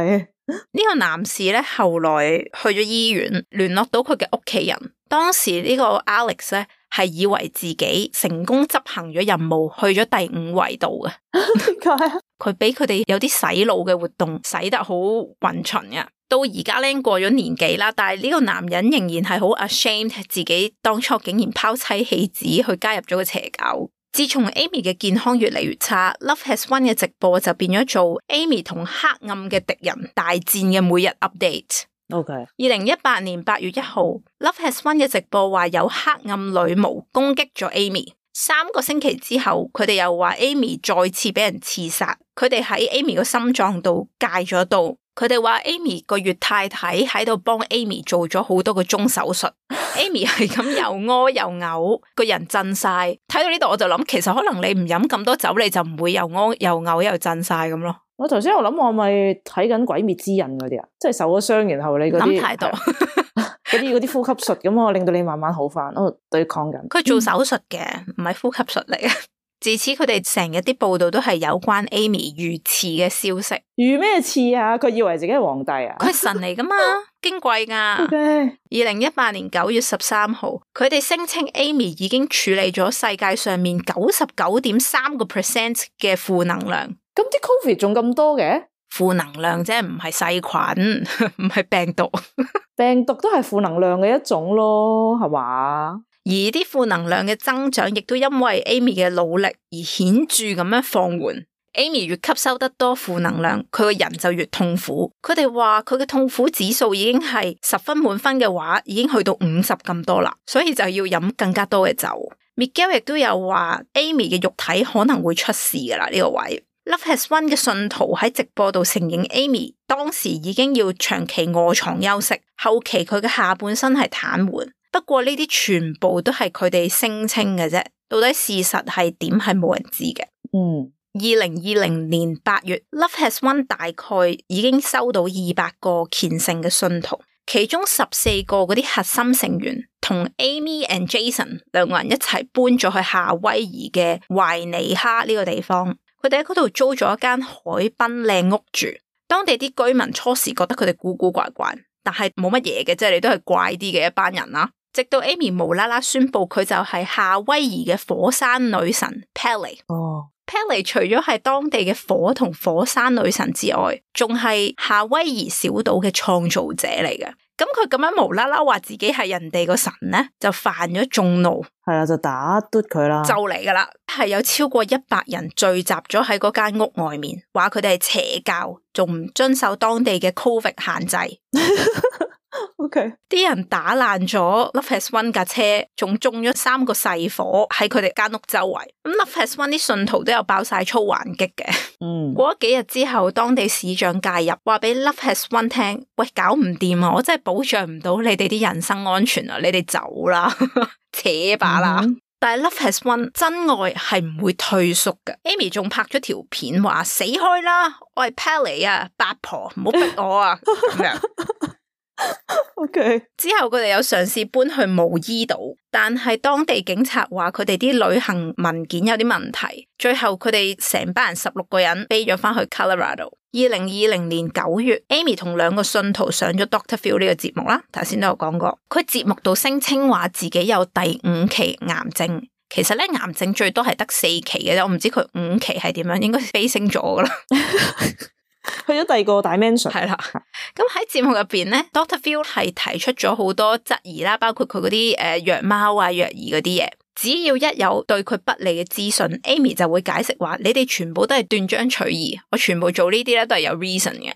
呢個男士咧後來去咗醫院，聯絡到佢嘅屋企人。當時呢個 Alex 咧係以為自己成功執行咗任務，去咗第5維度嘅。點解啊？佢俾佢哋有啲洗腦嘅活動，洗得好勻循嘅。到而家咧過咗年紀啦，但係呢個男人仍然係好 ashamed 自己當初竟然拋妻棄子去加入咗個邪教。自從 Amy 嘅健康越嚟越差， Love Has Won 嘅直播就變咗做 Amy 同黑暗嘅敵人大戰嘅每日 update。OK。2018年8月1號 Love Has Won 嘅直播話有黑暗女巫攻擊咗 Amy。3個星期之後，佢哋又話 Amy 再次俾人刺殺，佢哋喺 Amy 個心臟度戒咗刀。佢哋話 Amy 個月太太喺度幫 Amy 做咗好多個鐘手術，Amy 係咁又屙又嘔，個人震晒。睇到呢度我就諗，其實可能你唔飲咁多酒，你就唔會又屙又嘔又震晒咁咯。我頭先我諗我咪睇緊鬼滅之刃嗰啲啊，即係受咗傷，然後你嗰啲諗太多嗰啲呼吸術咁我令到你慢慢好翻，我對抗緊。佢做手術嘅，唔係呼吸術嚟嘅。自此佢哋成日啲報道都係有關 Amy 遇刺嘅消息。遇咩刺啊？佢以為自己係皇帝啊？佢係神嚟噶嘛，矜貴噶。Okay。2018年9月13號，佢哋聲稱 Amy 已經處理咗世界上面 99.3% 嘅負能量。咁啲 Covid 仲咁多嘅？負能量啫，唔係細菌，唔係病毒。病毒都係負能量嘅一種咯，係嘛？而啲負能量嘅增長，亦都因為 Amy 嘅努力而顯著咁樣放緩。Amy 越吸收得多負能量，佢個人就越痛苦。佢哋話佢嘅痛苦指數已經係10分滿分嘅話，已經去到50咁多啦，所以就要飲更加多嘅酒。Miguel 亦都有話 Amy 嘅肉體可能會出事噶啦呢個位。Love Has Won 嘅信徒喺直播度承認 Amy 當時已經要長期臥床休息，後期佢嘅下半身係癱瘓。不過呢啲全部都係佢哋聲稱嘅啫，到底事實係點係冇人知嘅。2020年8月 Love Has Won 大概已經收到200個虔誠嘅信徒，其中14個嗰啲核心成員同 Amy and Jason 2個人一齊搬咗去夏威夷嘅懷尼哈呢個地方，佢哋喺嗰度租咗一間海濱靚屋住。當地啲居民初時覺得佢哋古古怪怪，但係冇乜嘢嘅，即係你都係怪啲嘅一班人啦。直到 Amy 無啦啦宣布佢就係夏威夷嘅火山女神 Pele。Pele 除咗係當地嘅火同火山女神之外，仲係夏威夷小島嘅創造者嚟嘅。咁佢咁樣無啦啦話自己係人哋個神咧，就犯咗眾怒。係啊，就打嘟佢啦。就嚟噶啦，係有超過100人聚集咗喺嗰間屋外面，話佢哋係邪教，仲唔遵守當地嘅 Covid 限制。OK， 啲人打爛咗 Love Has Won 架車，仲中咗3個細火喺佢哋間屋周圍。咁 Love Has Won 啲信徒都有爆晒粗還擊嘅。過咗幾日之後，當地市長介入，話俾 Love Has Won 聽，喂，搞唔掂啊！我真係保障唔到你哋啲人身安全啊！你哋走啦，扯把啦。但係 Love Has Won 真愛係唔會退縮嘅。Amy 仲拍咗條片話死開啦，我係 Pele 啊，八婆唔好逼我啊咁樣。OK，之後佢哋有嘗試搬去毛伊島，但係當地警察話佢哋啲旅行文件有啲問題，最後佢哋成班人16個人飛咗翻去 Colorado。2020年9月 Amy 同2個信徒上咗 Dr. Phil 呢個節目啦，頭先都有講過，佢節目度聲稱話自己有第5期癌症。其實咧，癌症最多係得4期嘅啫，我唔知佢5期係點樣，應該飛升咗噶啦。去咗第二個 dimension。係啦，咁喺節目入邊咧 ，Dr. Phil 係提出咗好多質疑啦，包括佢嗰啲虐貓啊、虐兒嗰啲嘢。只要一有對佢不利嘅資訊 ，Amy 就會解釋話：你哋全部都係斷章取義，我全部做呢啲咧都係有 reason 嘅。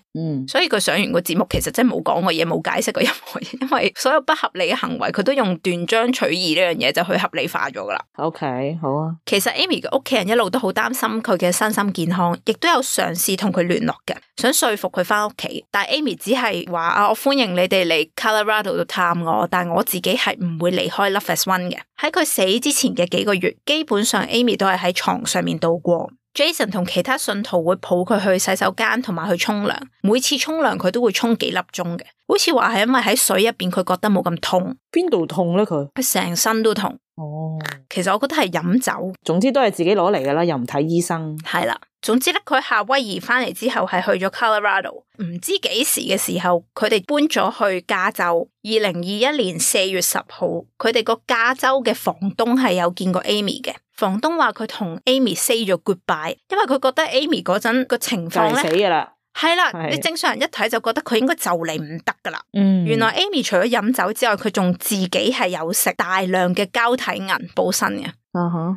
所以佢上完個節目，其實真係冇講過嘢，冇解釋過任何嘢，因為所有不合理嘅行為，佢都用斷章取義呢樣嘢就去合理化咗噶啦。OK， 好啊。其實 Amy 嘅屋企人一路都好擔心佢嘅身心健康，亦都有嘗試同佢聯絡嘅，想說服佢翻屋企。但係 Amy 只係話啊，我歡迎你哋嚟 Colorado 度探我，但係我自己係唔會離開 Love Has Won 嘅。喺佢死之前嘅幾個月，基本上 Amy 都係喺床上面度過。Jason 同其他信徒會抱佢去洗手間同埋去沖涼，每次沖涼佢都會沖幾粒鐘嘅，好似話係因為喺水入邊佢覺得冇咁痛。邊度痛咧？佢成身都痛。哦，其實我覺得係飲酒，總之都係自己攞嚟噶啦，又唔睇醫生。係啦，總之咧，佢夏威夷翻嚟之後係去咗 Colorado， 唔知幾時嘅時候，佢哋搬咗去加州。2021年4月10號，佢哋個加州嘅房東係有見過 Amy 嘅。房東話佢同 Amy say 咗 goodbye， 因為佢覺得 Amy 嗰陣個情況咧死噶啦。係啦，你正常人一睇就覺得佢應該就嚟唔得噶啦。原來 Amy 除咗飲酒之外，佢仲自己係有食大量嘅膠體銀補身嘅。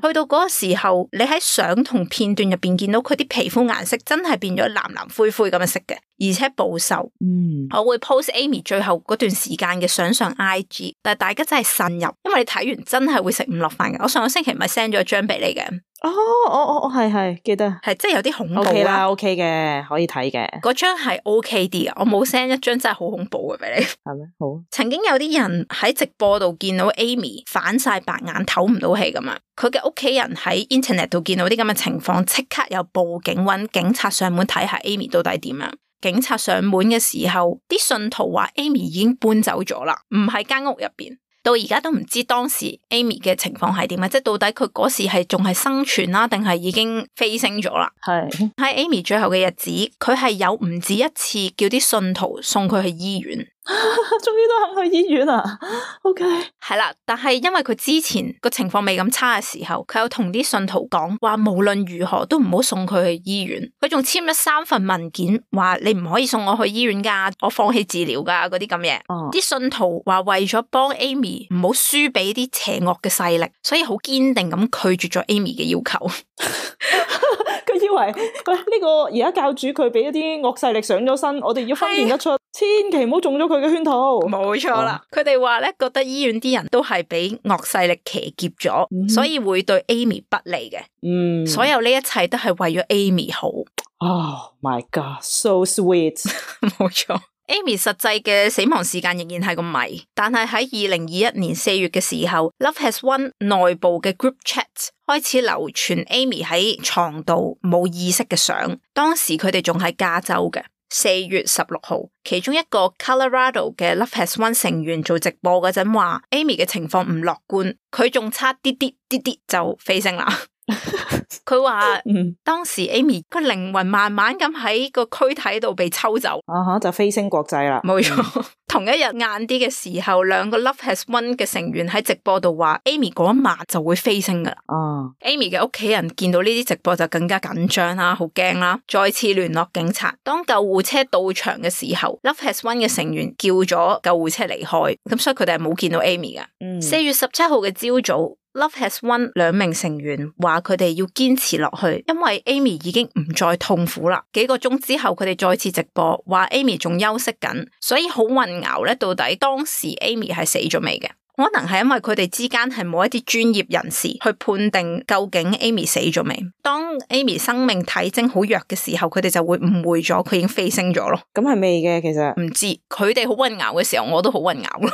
去到嗰個時候，你喺相同片段入邊見到佢啲皮膚顏色真係變咗藍藍灰灰咁嘅色嘅，而且暴瘦。我會 post Amy 最後嗰段時間嘅相上 IG， 但係大家真係慎入，因為你睇完真係會食唔落飯嘅。我上個星期咪 send 咗張俾你嘅。係記得，係真係有啲恐怖啦。OK 啦，OK 嘅，可以睇嘅。嗰張係 OK 啲啊，我冇 send 一張真係好恐怖嘅俾你。係咩？好。曾經有啲人喺直播度見到 Amy 反晒白眼，唞唔到氣咁樣。佢嘅屋企人喺 internet 度見到啲咁嘅情況，即刻有報警，搵警察上門睇下 Amy 到底點樣。警察上門嘅時候，啲信徒話 Amy 已經搬走咗啦，唔喺間屋入邊。到而家都唔知當時 Amy 嘅情況係點啊！即係到底佢嗰時係仲係生存啦，定係已經飛升咗啦？係喺 Amy 最後嘅日子，佢係有唔止一次叫啲信徒送佢去醫院。終於都肯去醫院啦 ！OK， 係啦，但係因為佢之前個情況未咁差嘅時候，佢有同啲信徒講話，無論如何都唔好送佢去醫院。佢仲簽咗3份文件，話你唔可以送我去醫院噶，我放棄治療噶嗰啲咁嘢。啲信徒話為咗幫 Amy 唔好輸俾啲邪惡嘅勢力，所以好堅定咁拒絕咗 Amy 嘅要求。佢以為呢個而家教主佢俾一啲惡勢力上咗身，我哋要分辨得出，千祈唔好中咗佢嘅圈套。冇錯啦，佢哋話咧覺得醫院啲人都係俾惡勢力騎劫咗，所以會對 Amy 不利嘅。所有呢一切都係為咗 Amy 好。Oh my God, so sweet。冇錯。Amy 實際嘅死亡時間仍然係個謎，但係喺2021年4月嘅時候 ，Love Has Won 內部嘅 group chat 開始流傳 Amy 喺床度冇意識嘅相，當時佢哋仲喺加州嘅。4月16號，其中一個 Colorado 嘅 Love Has Won 成員做直播嗰陣話 ，Amy 嘅情況唔樂觀，佢仲差啲就飛升啦。佢話當時 Amy 個靈魂慢慢咁喺個軀體度被抽走，就飛升國際啦。冇錯。同一日晏啲嘅時候，2個 Love Has Won 嘅成員喺直播度話 Amy 嗰一晚就會飛升噶啦。Amy 嘅屋企人見到呢啲直播就更加緊張啦，好驚啦，再次聯絡警察。當救護車到場嘅時候，Love Has Won 嘅成員叫咗救護車離開，咁所以佢哋係冇見到 Amy 嘅。4月17號嘅朝早，Love Has Won 2名成員話佢哋要堅持落去，因為 Amy 已經唔再痛苦啦。幾個鐘之後，佢哋再次直播，話 Amy 仲休息緊，所以好混淆咧。到底當時 Amy 係死咗未嘅？可能係因為佢哋之間係冇一啲專業人士去判定究竟 Amy 死咗未。當 Amy 生命體徵好弱嘅時候，佢哋就會誤會咗佢已經飛升咗咯。咁係未嘅，其實唔知佢哋好混淆嘅時候，我都好混淆咯。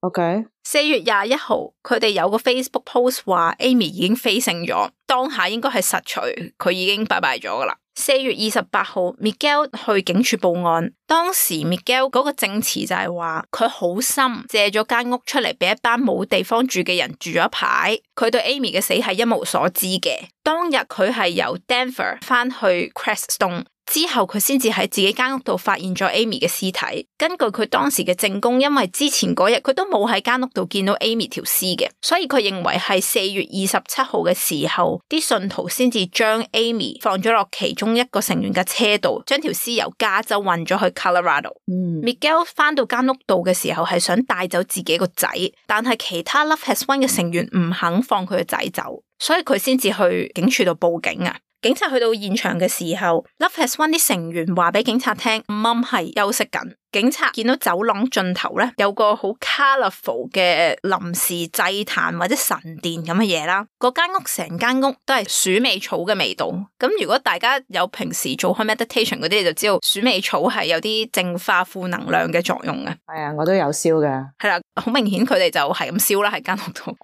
OK， 4月21號，佢哋有個 Facebook post 話 Amy 已經飛升咗，當下應該係實錘佢已經拜拜咗噶啦。4月28號 Miguel 去警署報案，當時 Miguel 嗰個證詞就係話佢好心借咗間屋出嚟俾一班冇地方住嘅人住咗一排，佢對 Amy 嘅死係一無所知嘅。當日佢係由 Denver 翻去 Crestone。之後佢先至喺自己間屋度發現咗 Amy 嘅屍體。根據佢當時嘅證供，因為之前嗰日佢都冇喺間屋度見到 Amy 條屍嘅，所以佢認為係4月27號嘅時候，啲信徒先至將 Amy 放咗落其中一個成員嘅車度，將條屍由加州運咗去 Colorado。Miguel 翻到間屋度嘅時候係想帶走自己個仔，但係其他 Love Has Won 嘅成員唔肯放佢個仔走，所以佢先至去警署度報警啊。警察去到現場嘅時候 Love Has Won 啲成員話俾警察聽，Mom 係休息緊。警察見到走廊盡頭咧有個好 colourful 嘅臨時祭壇或者神殿咁嘅嘢啦，嗰間屋成間屋都係鼠尾草嘅味道。咁如果大家有平時做開 meditation 嗰啲，你就知道鼠尾草係有啲淨化負能量嘅作用嘅。係啊，我都有燒嘅。係啦，好明顯佢哋就係咁燒啦喺間屋度。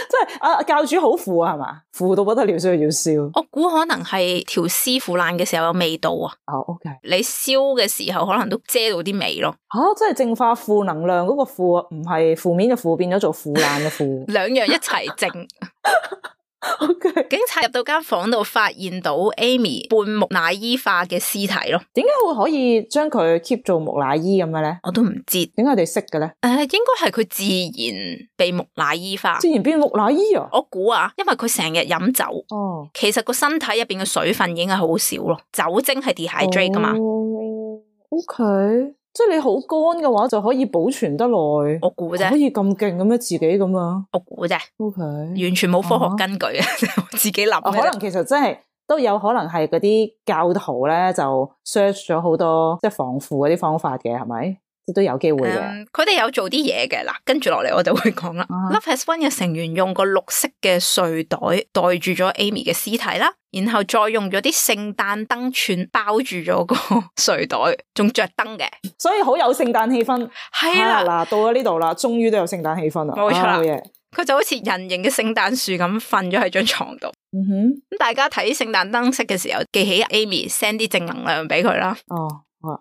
即係教主好腐啊，係嘛？腐到不得了，所以要燒。我估可能係條屍腐爛嘅時候有味道啊。OK。你燒嘅時候可能都遮到啲味咯。即係淨化負能量嗰個負，唔係負面嘅負變咗做腐爛嘅腐。兩樣一齊淨。Okay. 警察入到間房度，發現到 Amy 半木乃伊化嘅屍體咯。點解會可以將佢 keep 做木乃伊咁嘅咧？我都唔知。點解佢哋識嘅咧？應該係佢自然被木乃伊化。自然變木乃伊啊？我估啊，因為佢成日飲酒。哦。其實個身體入邊嘅水分已經係好少咯，酒精係 dehydrate 噶嘛。OK。即係你好乾嘅話，就可以保存得耐。我估啫，可以咁勁咁樣自己咁啊？我估啫。OK，完全冇科學根據啊！自己諗。可能其實真係都有可能係嗰啲教徒咧，就 search 咗好多即係防腐嗰啲方法嘅，係咪？即都有機會嘅。佢哋有做啲嘢嘅嗱，跟住落嚟我就會講啦。Love Has Won 嘅成員用個綠色嘅睡袋袋住咗 Amy 嘅屍體啦。然後再用咗啲聖誕燈串包住咗個睡袋，仲着燈嘅，所以好有聖誕氣氛。係啦，嗱，到咗呢度啦，終於都有聖誕氣氛啦。冇錯啦，佢就好似人形嘅聖誕樹咁瞓咗喺張床度。咁大家睇聖誕燈飾嘅時候，記起 Amy send 啲正能量俾佢啦。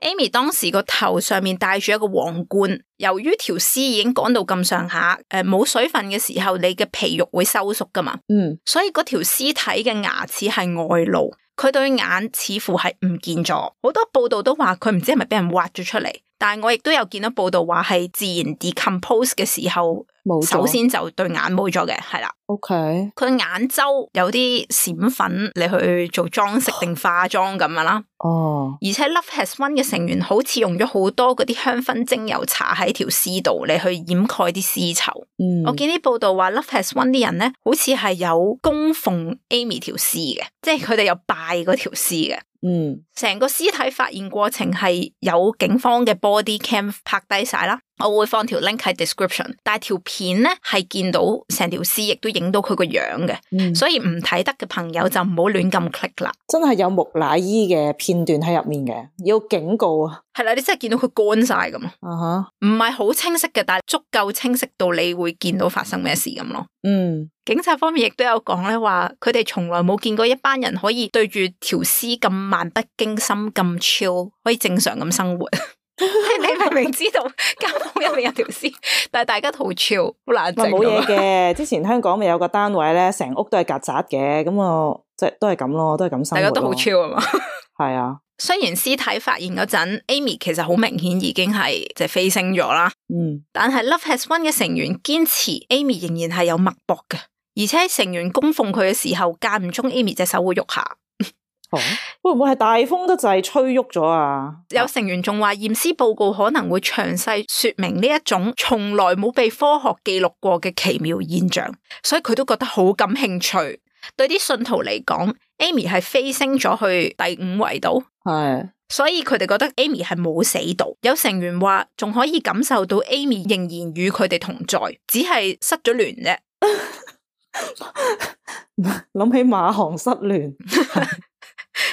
Amy 當時個頭上面戴住一個皇冠，由於條屍已經乾到咁上下，冇水分嘅時候，你嘅皮肉會收縮噶嘛，所以嗰條屍體嘅牙齒係外露，佢對眼似乎係唔見咗。好多報道都話佢唔知係咪俾人挖咗出嚟，但係我亦都有見到報道話係自然 decompose 嘅時候，首先就對眼冇咗嘅，係啦。OK，佢眼周有啲閃粉，你去做裝飾定化妝咁樣啦。而且 Love Has Won 嘅成員好似用咗好多嗰啲香薰精油搽喺條屍度嚟去掩蓋啲屍臭。我見啲報道話 Love Has Won 啲人咧，好似係有供奉 Amy 條屍嘅，即係佢哋有拜嗰條屍嘅。成個屍體發現過程係有警方嘅 body cam 拍低晒啦，我會放條 link 喺 description。但係條片咧係見到成條屍，亦都影到佢個樣嘅，所以唔睇得嘅朋友就唔好亂咁 click 啦。真係有木乃伊嘅片段喺入面嘅，要警告啊！係啦，你真係見到佢乾晒咁咯，唔係好清晰嘅，但係足夠清晰到你會見到發生咩事咁咯。警察方面亦都有講咧，話佢哋從來冇見過一班人可以對住條屍咁漫不經心咁 chill， 可以正常咁生活。你明明知道間房入面有條屍，但係大家好 chill， 好冷靜。冇嘢嘅，之前香港咪有個單位咧，成屋都係曱甴嘅，咁我即係都係咁咯，都係咁生活。大家都好 chill 啊嘛。係啊。雖然屍體發現嗰陣 ，Amy 其實好明顯已經係即係飛升咗啦。但係 Love Has Won 嘅成員堅持 Amy 仍然係有脈搏嘅，而且成員供奉佢嘅時候，間唔中 Amy 隻手會喐下。會唔會係大風得滯吹喐咗啊？有成員仲話驗屍報告可能會詳細說明呢一種從來冇被科學記錄過嘅奇妙現象，所以佢都覺得好感興趣。對啲信徒嚟講 ，Amy 係飛升咗去第5維度，所以佢哋覺得 Amy 係冇死到。有成員話仲可以感受到 Amy 仍然與佢哋同在，只係失咗聯啫。諗起馬航失聯。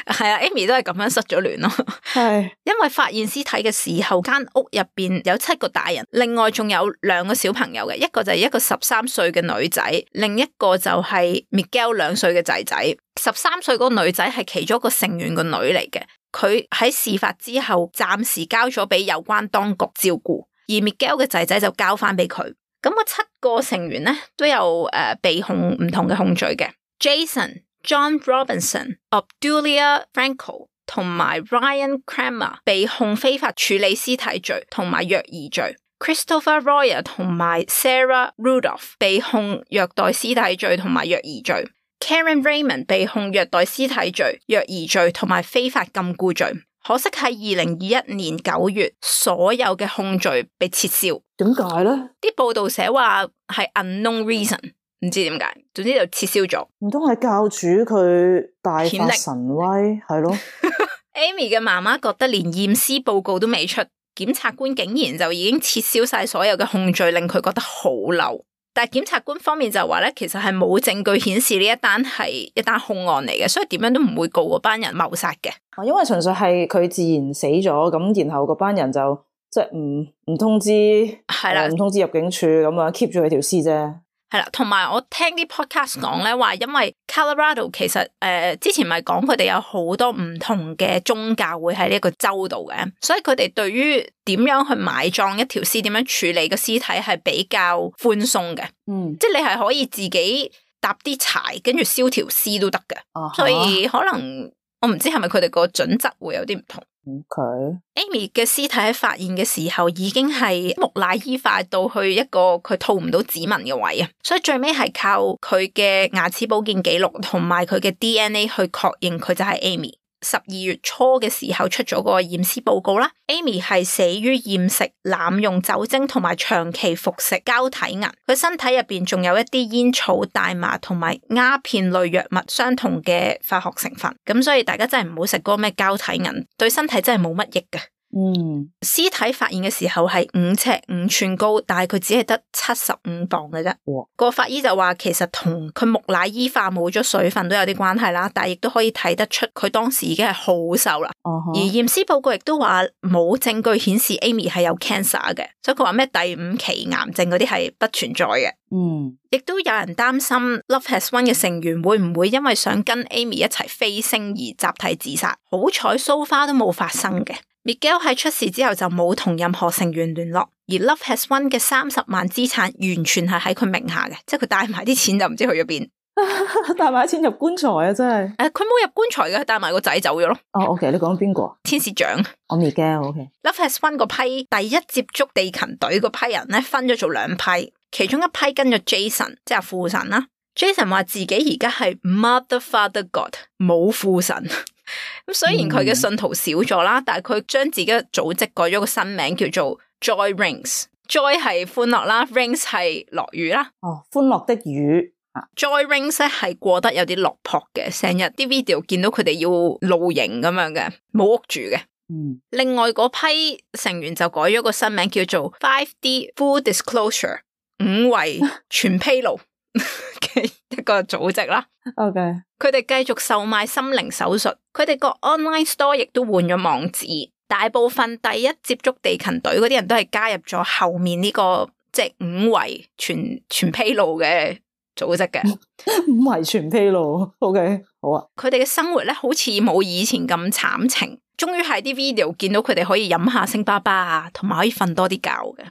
係啊 ，Amy 都係咁樣失咗聯咯。係因為發現屍體嘅時候，間屋入邊有7個大人，另外仲有2個小朋友嘅，一個就係一個13歲嘅女仔，另一個就係 Miguel 2歲嘅仔仔。13歲嗰個女仔係其中一個成員個女嚟嘅，佢喺事發之後暫時交咗俾有關當局照顧，而 Miguel 嘅仔仔就交翻俾佢。咁個7個成員咧都有被控唔同嘅控罪嘅 ，Jason、John Robinson、Obdulia Franco 同埋 Ryan Kramer 被控非法處理屍體罪同埋虐兒罪 ，Christopher Royer 同埋 Sarah Rudolph 被控虐待屍體罪同埋虐兒罪 ，Karen Raymond 被控虐待屍體罪、虐兒罪同埋非法禁錮罪。可惜喺2021年9月，所有嘅控罪被撤銷。點解咧？啲報道寫話係 unknown reason， 唔知點解，總之就撤銷咗。唔通係教主佢大發神威係咯？Amy 嘅媽媽覺得連驗屍報告都未出，檢察官竟然就已經撤銷晒所有嘅控罪，令佢覺得好嬲。但係檢察官方面就話咧，其實係冇證據顯示呢一單係一單兇案嚟嘅，所以點樣都唔會告嗰班人謀殺嘅。因為純粹係佢自然死咗，咁然後嗰班人就即係唔通知，係啦，唔通知入境處咁樣 keep 住佢條屍啫。係啦，同埋我聽啲 podcast 講咧，話因為 Colorado 其實之前咪講佢哋有好多唔同嘅宗教會喺呢一個州度嘅，所以佢哋對於點樣去埋葬一條屍，點樣處理個屍體係比較寬鬆嘅。即係你係可以自己搭啲柴，跟住燒條屍都得嘅。所以可能我唔知係咪佢哋個準則會有啲唔同。Amy 嘅屍體喺發現嘅時候已經係木乃伊化到去一個佢套唔到指紋嘅位啊，所以最尾係靠佢嘅牙齒保健記錄同埋佢嘅 DNA 去確認佢就係 Amy。12月初嘅時候出咗個驗屍報告啦 ，Amy 係死於厭食、濫用酒精同埋長期服食膠體銀。佢身體入邊仲有一啲煙草、大麻同埋鴉片類藥物相同嘅化學成分，咁所以大家真係唔好食嗰個咩膠體銀，對身體真係冇乜益嘅。屍體發現嘅時候係5尺5寸高，但係佢只係得75磅嘅啫。個法醫就話其實同佢木乃伊化冇咗水分都有啲關係啦，但係亦都可以睇得出佢當時已經係好瘦啦。而驗屍報告亦都話冇證據顯示 Amy 係有 cancer 嘅，所以佢話咩第5期癌症嗰啲係不存在嘅。亦都有人擔心 Love Has Won 嘅成員會唔會因為想跟 Amy 一齊飛升而集體自殺？好彩 so far 都冇發生嘅。Miguel 喺出事之後就冇同任何成員聯絡，而 Love Has Won 嘅30萬資產完全係喺佢名下嘅，即係佢帶埋啲錢就唔知去咗邊。帶埋啲錢入棺材啊！真係佢冇入棺材嘅，帶埋個仔走咗咯。OK， 你講邊個？天使長。我 Miguel，OK。Love Has Won 嗰批第一接觸地勤隊嗰批人咧，分咗做2批，其中一批跟咗 Jason， 即係父神啦。Jason 話自己而家係 Mother Father God， 冇父神。咁雖然佢嘅信徒少咗啦，但係佢將自己嘅組織改咗個新名，叫做 Joy Rings。Joy 係歡樂啦 ，Rings 係落雨啦。歡樂的雨。Joy Rings 咧係過得有啲落魄嘅，成日啲 video 見到佢哋要露營咁樣嘅，冇屋住嘅。另外嗰批成員就改咗個新名，叫做 5D Full Disclosure， 5維全披露嘅一個組織啦。OK，佢哋繼續售賣心靈手術，佢哋個 online store 亦都換咗網址。大部分第一接觸地勤隊嗰啲人都係加入咗後面呢個即係5維全披露嘅組織嘅。5維全披露 ，OK， 好啊。佢哋嘅生活咧好似冇以前咁慘情。終於喺啲 video 見到佢哋可以飲下星巴巴啊，同埋可以瞓多啲覺嘅，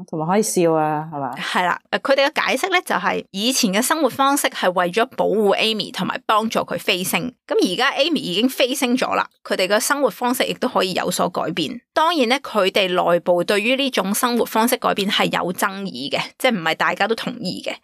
同埋可以笑啊，係嘛？係啦，佢哋嘅解釋咧就係以前嘅生活方式係為咗保護 Amy 同埋幫助佢飛升，咁而家 Amy 已經飛升咗啦，佢哋嘅生活方式亦都可以有所改變。當然咧，佢哋內部對於呢種生活方式改變係有爭議嘅，即係唔係大家都同意嘅。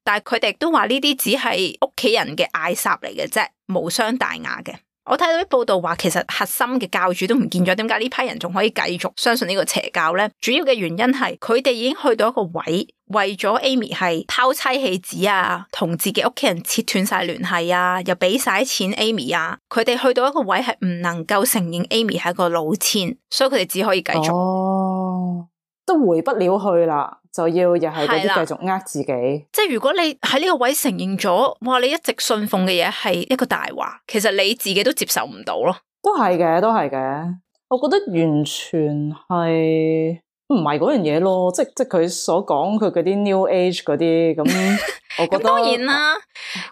但係佢哋都話呢啲只係屋企人嘅嗌霎嚟嘅啫，無傷大雅嘅。我睇到啲報道話，其實核心嘅教主都唔見咗，點解呢批人仲可以繼續相信呢個邪教呢？主要嘅原因係佢哋已經去到一個位，為咗 Amy 係拋妻棄子啊，同自己屋企人切斷晒聯繫啊，又俾晒錢 Amy 啊，佢哋去到一個位係唔能夠承認 Amy 係一個老千，所以佢哋只可以繼續。都回不了去啦，就要又係嗰啲繼續呃自己。即係如果你喺呢個位承認咗，哇！你一直信奉嘅嘢係一個大話，其實你自己都接受唔到咯。都係嘅，都係嘅。我覺得完全係唔係嗰樣嘢咯，即係佢所講佢嗰啲 New Age 嗰啲咁，我覺得當然啦，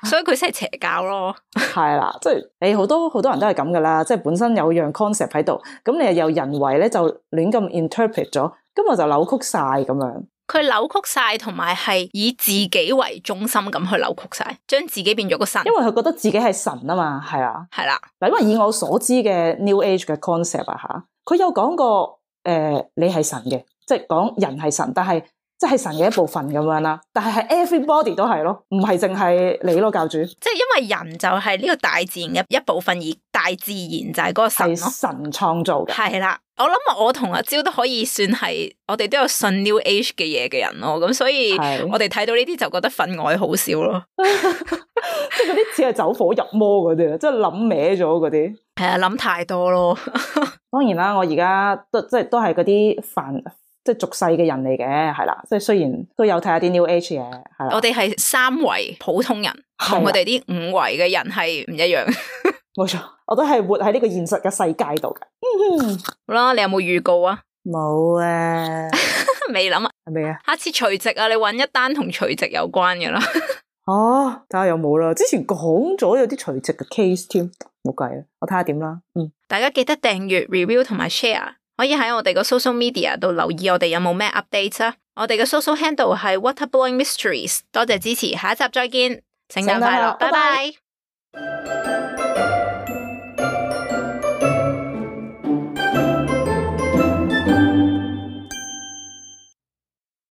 所以佢先係邪教咯。係啦，即係你好多人都係咁噶啦，即係本身有樣 concept 喺度，咁你又人為咧就亂咁 interpret 咗。咁我就扭曲晒咁樣，佢扭曲晒，同埋係以自己為中心咁去扭曲晒，將自己變咗個神。因為佢覺得自己係神啊嘛，係啊，係啦。嗱，因為以我所知嘅 New Age 嘅 concept 啊吓，佢有講過你係神嘅，即係講人係神，但係即係神嘅一部分咁樣啦。但係 everybody 都係咯，唔係淨係你咯，教主。即係因為人就係呢個大自然嘅一部分，而大自然就係嗰個神咯，係神創造嘅。係啦。我諗我同阿蕉都可以算係，我哋都有信 New Age 嘅嘢嘅人咯，咁所以我哋睇到呢啲就覺得分外好笑咯，即係嗰啲似係走火入魔嗰啲，即係諗歪咗嗰啲。係啊，諗太多咯。當然啦，我而家都係嗰啲即係俗世嘅人嚟嘅，係啦，即係雖然都有睇下啲 New Age 嘅，係啦。我哋係三維普通人，同佢哋啲五維嘅人係唔一樣。冇錯，我都係活喺呢個現實嘅世界度嘅。好啦，你有冇預告啊？冇啊，未諗啊？係咪啊？下次除夕啊，你搵一單同除夕有關嘅啦。哦，睇下有冇啦。之前講咗有啲除夕嘅 case 添，冇計啊。我睇下點啦。大家記得訂閱、review 同埋 share， 可以喺我哋個 social media 度留意我哋有冇咩 update 啊。我哋嘅 social handle 係 Waterblowing Mysteries。多謝支持，下一集再見，聖誕快樂，拜拜。